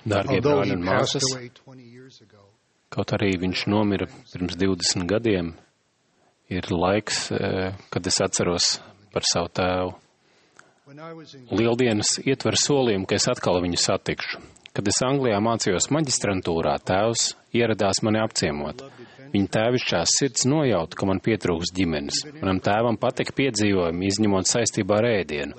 Dārgie brāļi un māsas, kaut arī viņš nomira pirms 20 gadiem, ir laiks, kad es atceros par savu tēvu. Lieldienas ietver solījumu, ka es atkal viņu satikšu. Kad es Anglijā mācījos maģistrantūrā, tēvs ieradās mani apciemot. Viņa tēvišķās sirds nojauta, ka man pietrūks ģimenes. Manam tēvam patika piedzīvojumi, izņemot saistībā ar ēdienu.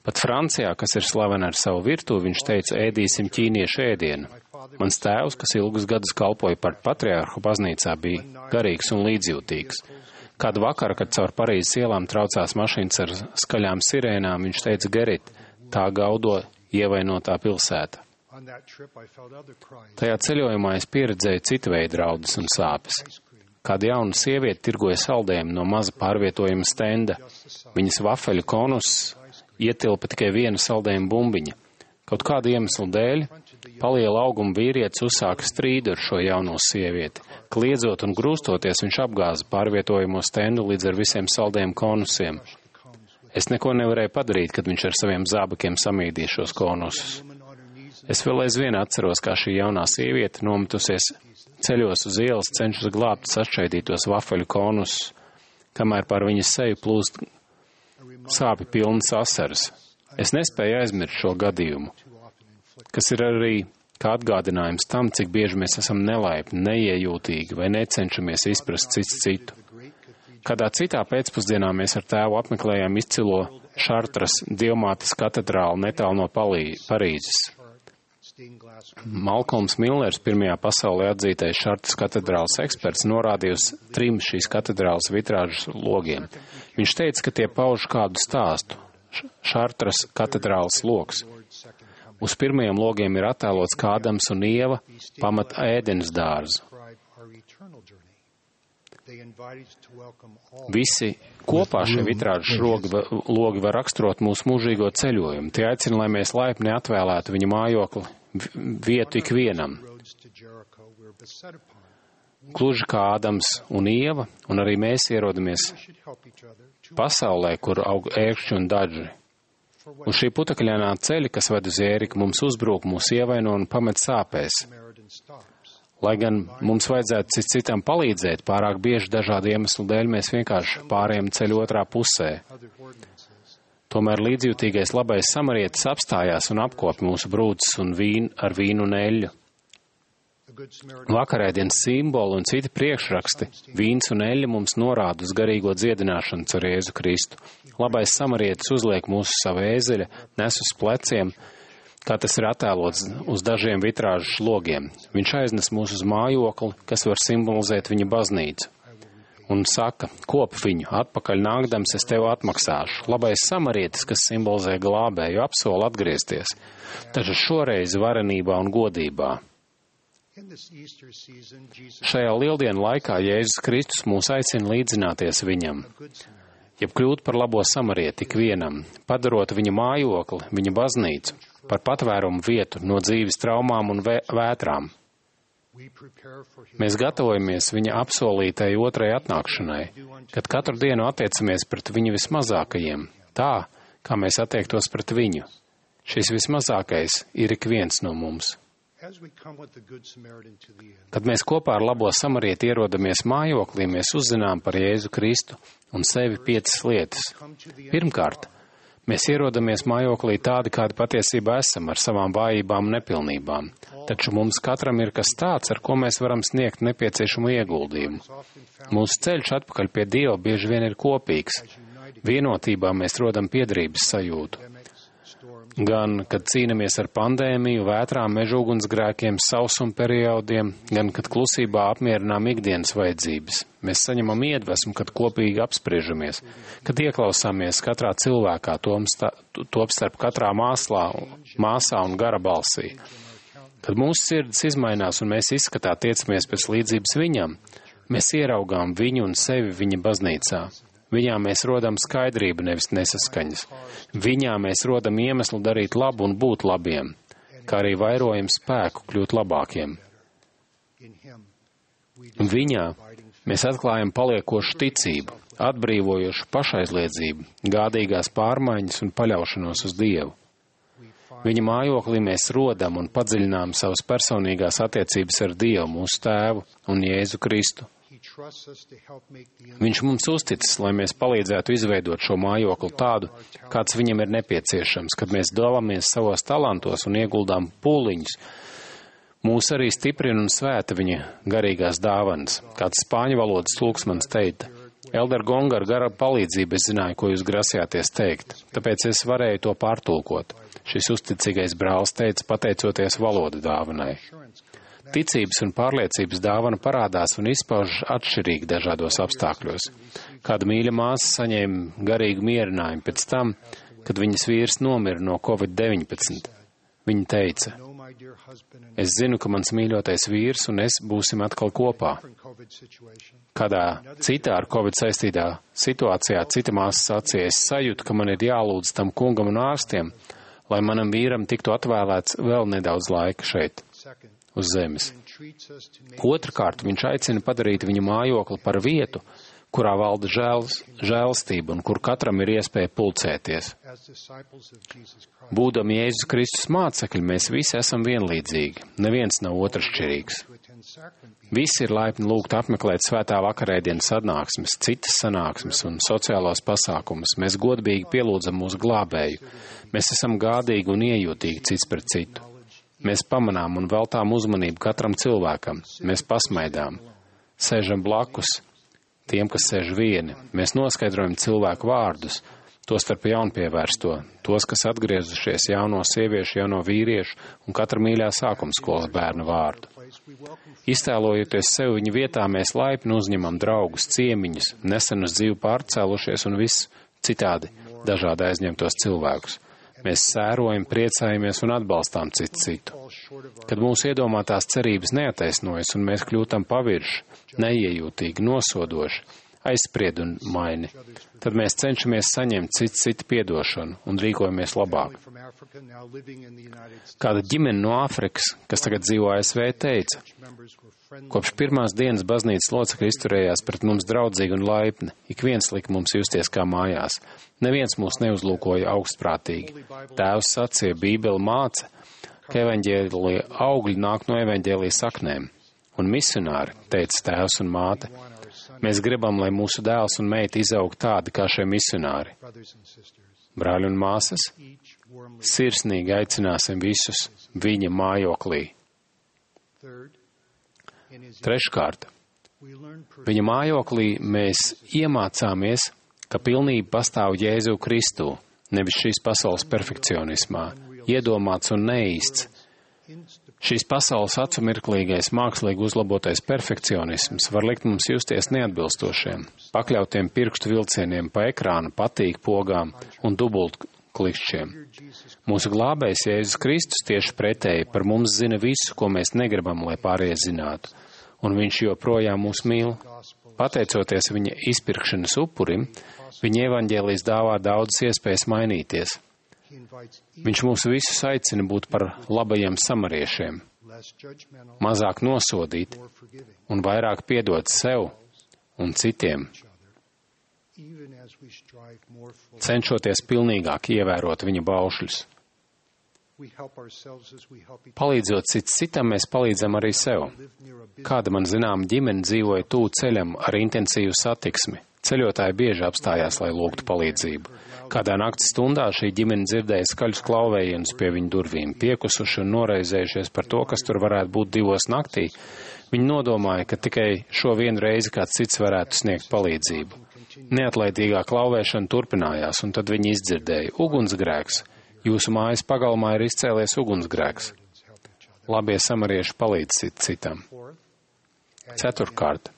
Pat Francijā, kas ir slavena ar savu virtuvi, viņš teica, ēdīsim ķīniešu ēdienu. Mans tēvs, kas ilgus gadus kalpoja par patriārhu baznīcā, bija garīgs un līdzjūtīgs. Kādu vakaru, kad caur Parīzes ielām traucās mašīnas ar skaļām sirēnām, viņš teica, Gerit, tā gaudo ievainotā pilsēta. Tajā ceļojumā es pieredzēju citu veidu raudus un sāpes. Kāda jauna sieviete tirgoja saldējumu no maza pārvietojuma stenda. Viņas vafeļu konus ietilpa tikai viena saldējuma bumbiņa. Kaut kādu iemeslu dēļ paliela auguma vīrietis uzsāka strīdu ar šo jauno sievieti. Kliedzot un grūstoties, viņš apgāza pārvietojamo stendu līdz ar visiem saldējuma konusiem. Es neko nevarēju padarīt, kad viņš ar saviem zābakiem samīdīja šos konusus. Es vēl aizvien atceros, kā šī jaunā sieviete nometusies ceļos uz ielas, cenšas glābt sašķaidītos vafeļu konusus, kamēr pār viņas seju plūst sāpju pilnas asaras. Es nespēju aizmirst šo gadījumu, kas ir arī kā atgādinājums tam, cik bieži mēs esam nelaipni, neiejūtīgi vai necenšamies izprast cits citu. Kādā citā pēcpusdienā mēs ar tēvu apmeklējām izcilo Šartras Dievmātes katedrāli netālu no Parīzes. Malkolms Millers, pirmajā pasaulē atzītais Šartras katedrāles eksperts, norādīja uz 3 šīs katedrāles vitrāžas logiem. Viņš teica, ka tie pauž kādu stāstu. Šartras katedrāles logs. Uz pirmajiem logiem ir attēlots, kā Ādams un Ieva pamat ēdenes dārzu. Visi kopā šie vitrāžas logi var raksturot mūsu mūžīgo ceļojumu. Tie aicina, lai mēs laipni atvēlētu viņa mājokli vietu ikvienam. Gluži kā Ādams un Ieva, un arī mēs ierodamies pasaulē, kur aug ērkšķi un daži. Uz šī putekļainā ceļa, kas ved uz Ēriku, mums uzbrūk, mūs ievaino un pamet sāpēs. Lai gan mums vajadzētu citam palīdzēt, pārāk bieži dažādu iemeslu dēļ mēs vienkārši pārējām ceļu otrā pusē. Tomēr līdzjūtīgais labais samarietis apstājās un apkopa mūsu brūces un ar vīnu un eļļu. Vakarēdienas simboli un citi priekšraksti, vīns un eļļa mums norāda uz garīgo dziedināšanu ar Jēzu Kristu. Labais samarietis uzliek mūsu savu ēzeļa, nes uz pleciem, kā tas ir attēlots uz dažiem vitrāžas logiem. Viņš aiznes mūs uz mājokli, kas var simbolizēt viņa baznīcu. Un saka, kop viņu, atpakaļ nākdams es tev atmaksāšu. Labais samarietis, kas simbolizē glābēju, apsola atgriezties, taču šoreiz varenībā un godībā. Šajā lieldienu laikā Jēzus Kristus mūs aicina līdzināties viņam, jeb kļūt par labo samarieti ikvienam, padarot viņa mājokli, viņa baznīcu, par patvērumu vietu no dzīves traumām un vētrām. Mēs gatavojamies viņa apsolītai otrai atnākšanai, kad katru dienu attiecamies pret viņu vismazākajiem, tā, kā mēs attiektos pret viņu. Šis vismazākais ir ik viens no mums. Kad mēs kopā ar labo samarieti ierodamies mājoklī, mēs uzzinām par Jēzu Kristu un sevi 5 lietas. Pirmkārt, mēs ierodamies mājoklī tādi, kādi patiesībā esam, ar savām vājībām un nepilnībām. Taču mums katram ir kas tāds, ar ko mēs varam sniegt nepieciešamu ieguldījumu. Mūsu ceļš atpakaļ pie Dieva bieži vien ir kopīgs. Vienotībā mēs rodam piederības sajūtu. Gan, kad cīnamies ar pandēmiju, vētrām, mežugunsgrēkiem, sausuma periodiem, gan, kad klusībā apmierinām ikdienas vajadzības. Mēs saņemam iedvesmu, kad kopīgi apspriežamies, kad ieklausāmies katrā cilvēkā, top starp katrā māsā un gara balsī. Kad mūsu sirds izmainās un mēs izskatā tiecamies pēc līdzības viņam, mēs ieraugām viņu un sevi viņa baznīcā. Viņā mēs rodam skaidrību, nevis nesaskaņas. Viņā mēs rodam iemeslu darīt labu un būt labiem, kā arī vairojam spēku kļūt labākiem. Viņā mēs atklājam paliekošu ticību, atbrīvojošu pašaizliedzību, gādīgās pārmaiņas un paļaušanos uz Dievu. Viņa mājoklī mēs rodam un padziļinām savas personīgās attiecības ar Dievu, mūsu Tēvu un Jēzu Kristu. Viņš mums uzticas, lai mēs palīdzētu izveidot šo mājokli tādu, kāds viņam ir nepieciešams, kad mēs dalāmies savos talantos un ieguldām pūliņus. Mūs arī stiprina un svēta viņa garīgās dāvanas. Kāds spāņu valodas tulksmans teica: Elder Gonga, ar gara palīdzību es zināju, ko jūs grasījāties teikt, tāpēc es varēju to pārtulkot. Šis uzticīgais brālis teica, pateicoties valodu dāvanai. Ticības un pārliecības dāvana parādās un izpaužas atšķirīgi dažādos apstākļos. Kāda mīļa māsa saņēma garīgu mierinājumu pēc tam, kad viņas vīrs nomira no Covid-19. Viņa teica: es zinu, ka mans mīļotais vīrs un es būsim atkal kopā. Kādā citā ar Covid saistītā situācijā cita māsa sacīja: es sajūtu, ka man ir jālūdz tam kungam un ārstiem, lai manam vīram tiktu atvēlēts vēl nedaudz laika šeit, uz zemes. Otrkārt, viņš aicina padarīt viņa mājokli par vietu, kurā valda žēlastība un kur katram ir iespēja pulcēties. Būdami Jēzus Kristus mācekļi, mēs visi esam vienlīdzīgi, neviens nav otršķirīgs. Visi ir laipni lūgt apmeklēt svētā vakarēdienas sanāksmes, citas sanāksmes un sociālos pasākumus. Mēs godīgi pielūdzam mūsu glābēju. Mēs esam gādīgi un iejūtīgi cits pret citu. Mēs pamanām un veltām uzmanību katram cilvēkam. Mēs pasmaidām, sēžam blakus tiem, kas sēž vieni. Mēs noskaidrojam cilvēku vārdus, tostarp jaunpievērsto, tos, kas atgriezušies, jauno sieviešu, jauno vīriešu un katra mīļā sākumskolas bērnu vārdu. Iztēlojoties sev viņa vietā, mēs laipni uzņemam draugus, ciemiņus, nesen uz dzīvi pārcēlušies un viss citādi dažādi aizņemtos cilvēkus. Mēs sērojam, priecājamies un atbalstām citu. Kad mūsu iedomātās cerības neataisnojas un mēs kļūtam pavirši, neiejūtīgi, nosodoši, aizspriedumaini, tad mēs cenšamies saņemt citu piedošanu un rīkojamies labāk. Kāda ģimene no Āfrikas, kas tagad dzīvo ASV, teica: kopš pirmās dienas baznīcas locekļi izturējās pret mums draudzīgi un laipni, ik viens lika mums justies kā mājās. Neviens mūs neuzlūkoja augstprātīgi. Tēvs sacīja, Bībele māca, ka evaņģēlija augļi nāk no evaņģēlija saknēm. Un misionāri, teica tēvs un māte, mēs gribam, lai mūsu dēls un meita izaug tādi kā šie misionāri. Brāļi un māsas, sirsnīgi aicināsim visus viņa mājoklī. Treškārt, viņa mājoklī mēs iemācāmies, ka pilnība pastāv Jēzu Kristu, nevis šīs pasaules perfekcionismā, iedomāts un neīsts. Šīs pasaules acumirklīgais, mākslīgi uzlabotais perfekcionisms var likt mums justies neatbilstošiem, pakļautiem pirkstu vilcieniem pa ekrānu, patīk pogām un dubultklikšķiem. Mūsu glābējs Jēzus Kristus tieši pretēji par mums zina visu, ko mēs negribam, lai pārējie zinātu, un viņš joprojām mūs mīl. Pateicoties viņa izpirkšanas upurim, viņa evaņģēlijs dāvā daudzas iespējas mainīties. Viņš mūs visus aicina būt par labajiem samariešiem, mazāk nosodīt un vairāk piedot sev un citiem, cenšoties pilnīgāk ievērot viņa baušļus. Palīdzot citam, mēs palīdzam arī sev. Kāda man zinām ģimene dzīvoja tuvu ceļam ar intensīvu satiksmi. Ceļotāji bieži apstājās, lai lūgtu palīdzību. Kādā nakts stundā šī ģimene dzirdēja skaļus klauvējienus pie viņu durvīm, piekusuši un noraizējušies par to, kas tur varētu būt 2 naktī. Viņi nodomāja, ka tikai šo vienu reizi kāds cits varētu sniegt palīdzību. Neatlaidīgā klauvēšana turpinājās, un tad viņi izdzirdēja: ugunsgrēks! Jūsu mājas pagalmā ir izcēlies ugunsgrēks. Labie samarieši palīdz citam. Ceturtkārt,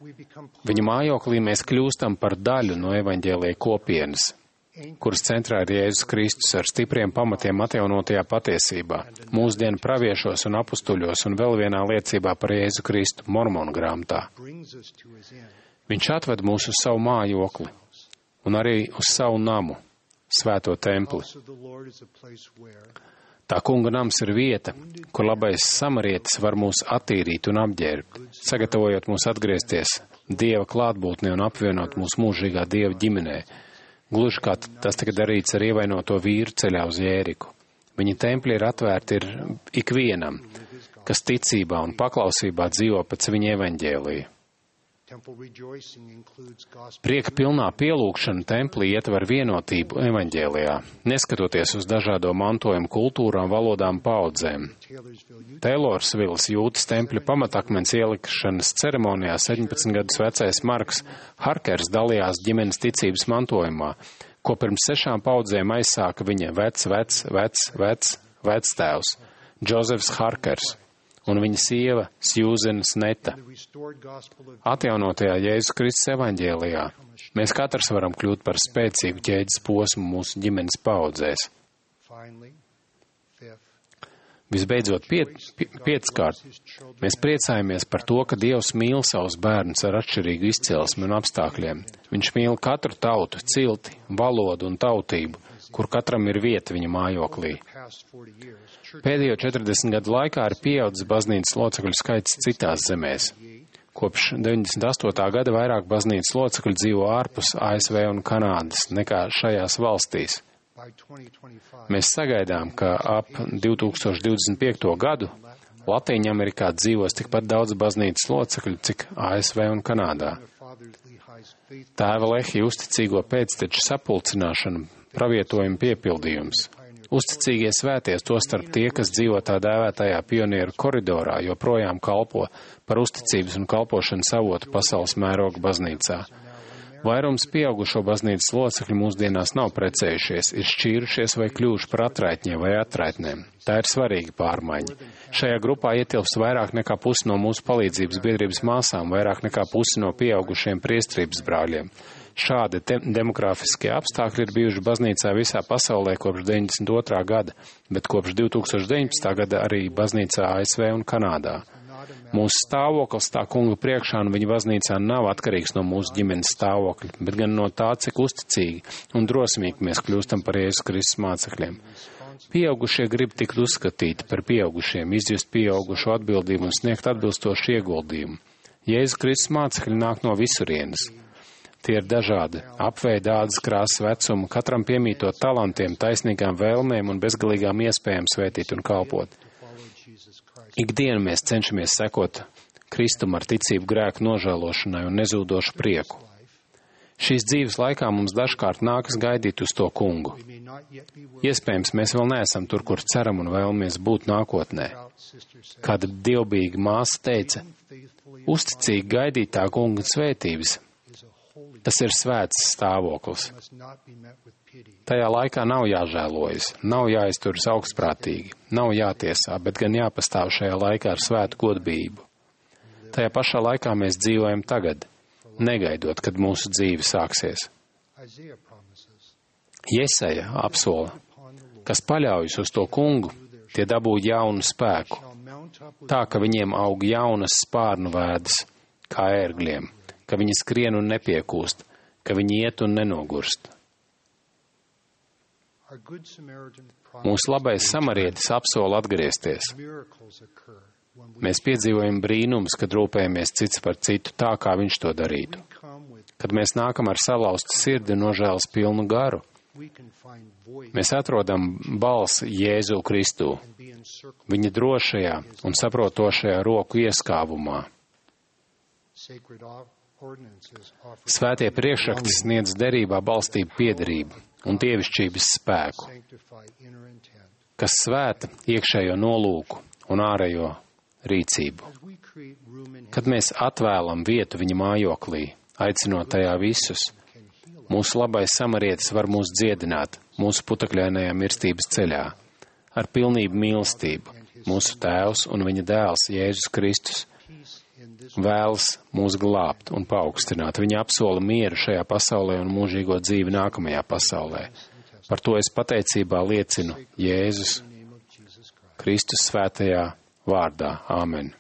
viņa mājoklī mēs kļūstam par daļu no evaņģēlija kopienas, kuras centrā ir Jēzus Kristus ar stipriem pamatiem atjaunotajā patiesībā, mūsdienu praviešos un apustuļos un vēl vienā liecībā par Jēzu Kristu Mormonu grāmatā. Viņš atved mūs uz savu mājokli un arī uz savu namu, svēto templi. Tā kunga nams ir vieta, kur labais samarietis var mūs attīrīt un apģērbt, sagatavojot mūs atgriezties Dieva klātbūtnē un apvienot mūsu mūžīgā Dieva ģimenē, gluži kā tas tika darīts ar ievainoto vīru ceļā uz Jēriku. Viņa tempļi ir atvērti ikvienam, kas ticībā un paklausībā dzīvo pēc viņa evaņģēlija. Prieka pilnā pielūgšana templī ietver vienotību evaņģēlijā, neskatoties uz dažādo mantojumu kultūrām, valodām, paudzēm. Taylorsvilas jūtas tempļa pamatakmens ielikšanas ceremonijā 17 gadus vecais Marks Harkers dalījās ģimenes ticības mantojumā, ko pirms 6 paudzēm aizsāka viņa vectēvs Džozefs Harkers un viņa sieva Sjūzena Sneta. Atjaunotajā Jēzus Kristus evaņģēlijā mēs katrs varam kļūt par spēcīgu ķēdes posmu mūsu ģimenes paudzēs. Visbeidzot, pieckārt, mēs priecājamies par to, ka Dievs mīl savus bērnus ar atšķirīgu izcelsmi un apstākļiem. Viņš mīl katru tautu, cilti, valodu un tautību, kur katram ir vieta viņa mājoklī. Pēdējo 40 gadu laikā ir pieaudzis baznīcas locekļu skaits citās zemēs. Kopš 98. gada vairāk baznīcas locekļu dzīvo ārpus ASV un Kanādas nekā šajās valstīs. Mēs sagaidām, ka ap 2025. gadu Latīņamerikā dzīvos tikpat daudz baznīcas locekļu, cik ASV un Kanādā. Tēva Lehija uzticīgo pēcteču sapulcināšana, pravietojuma piepildījums. Uzticīgie svēties, tostarp tie, kas dzīvo tā dēvētajā pionieru koridorā, joprojām kalpo par uzticības un kalpošanas avotu pasaules mēroga baznīcā. Vairums pieaugušo baznīcas locekļu mūsdienās nav precējušies, ir šķīrušies vai kļuvuši par atraitņiem vai atraitnēm. Tā ir svarīga pārmaiņa. Šajā grupā ietilpst vairāk nekā pusi no mūsu palīdzības biedrības māsām, vairāk nekā pusi no pieaugušiem priestrības brāļiem. Šādi demogrāfiskie apstākļi ir bijuši baznīcā visā pasaulē kopš 92. gada, bet kopš 2019. gada arī baznīcā ASV un Kanādā. Mūsu stāvoklis tā kunga priekšā un viņa baznīcā nav atkarīgs no mūsu ģimenes stāvokļa, bet gan no tā, cik uzticīgi un drosmīgi mēs kļūstam par Jēzus Kristus mācekļiem. Pieaugušie grib tikt uzskatīti par pieaugušiem, izjust pieaugušo atbildību un sniegt atbilstošu ieguldījumu. Jēzus Kristus mācekļi nāk no visurienes. Tie ir dažādi, apveida, ādas krāsas, vecuma, katram piemītot talantiem, taisnīgām vēlmēm un bezgalīgām iespējām svētīt un kalpot. Ikdienu mēs cenšamies sekot Kristum ar ticību grēku nožēlošanai un nezūdošu prieku. Šīs dzīves laikā mums dažkārt nākas gaidīt uz to kungu. Iespējams, mēs vēl neesam tur, kur ceram un vēlamies būt nākotnē. Kāda dievbijīga māsa teica, uzticīgi gaidīt tā kunga svētības. Tas ir svēts stāvoklis. Tajā laikā nav jāžēlojas, nav jāizturas augstprātīgi, nav jātiesā, bet gan jāpastāv šajā laikā ar svētu godbību. Tajā pašā laikā mēs dzīvojam tagad, negaidot, kad mūsu dzīve sāksies. Jesaja apsola, kas paļaujas uz to kungu, tie dabū jaunu spēku, tā, ka viņiem aug jaunas spārnu vēdas, kā ērgļiem, ka viņi skrien un nepiekūst, ka viņi iet un nenogurst. Mūsu labais samarietis apsola atgriezties. Mēs piedzīvojam brīnums, kad rūpējamies cits par citu tā, kā viņš to darītu. Kad mēs nākam ar salauztu sirdi un nožēlas pilnu garu, mēs atrodam balsi Jēzu Kristu, viņa drošajā un saprotošajā roku ieskāvumā. Svētie priekšrakti sniedz derībā balstību piederību un dievišķības spēku, kas svēta iekšējo nolūku un ārējo rīcību. Kad mēs atvēlam vietu viņa mājoklī, aicinot tajā visus, mūsu labais samarietis var mūs dziedināt mūsu putekļainajā mirstības ceļā, ar pilnību mīlestību. Mūsu Tēvs un viņa dēls Jēzus Kristus vēlas mūs glābt un paaugstināt. Viņa apsola mieru šajā pasaulē un mūžīgo dzīvi nākamajā pasaulē. Par to es pateicībā liecinu Jēzus Kristus svētajā vārdā. Āmen.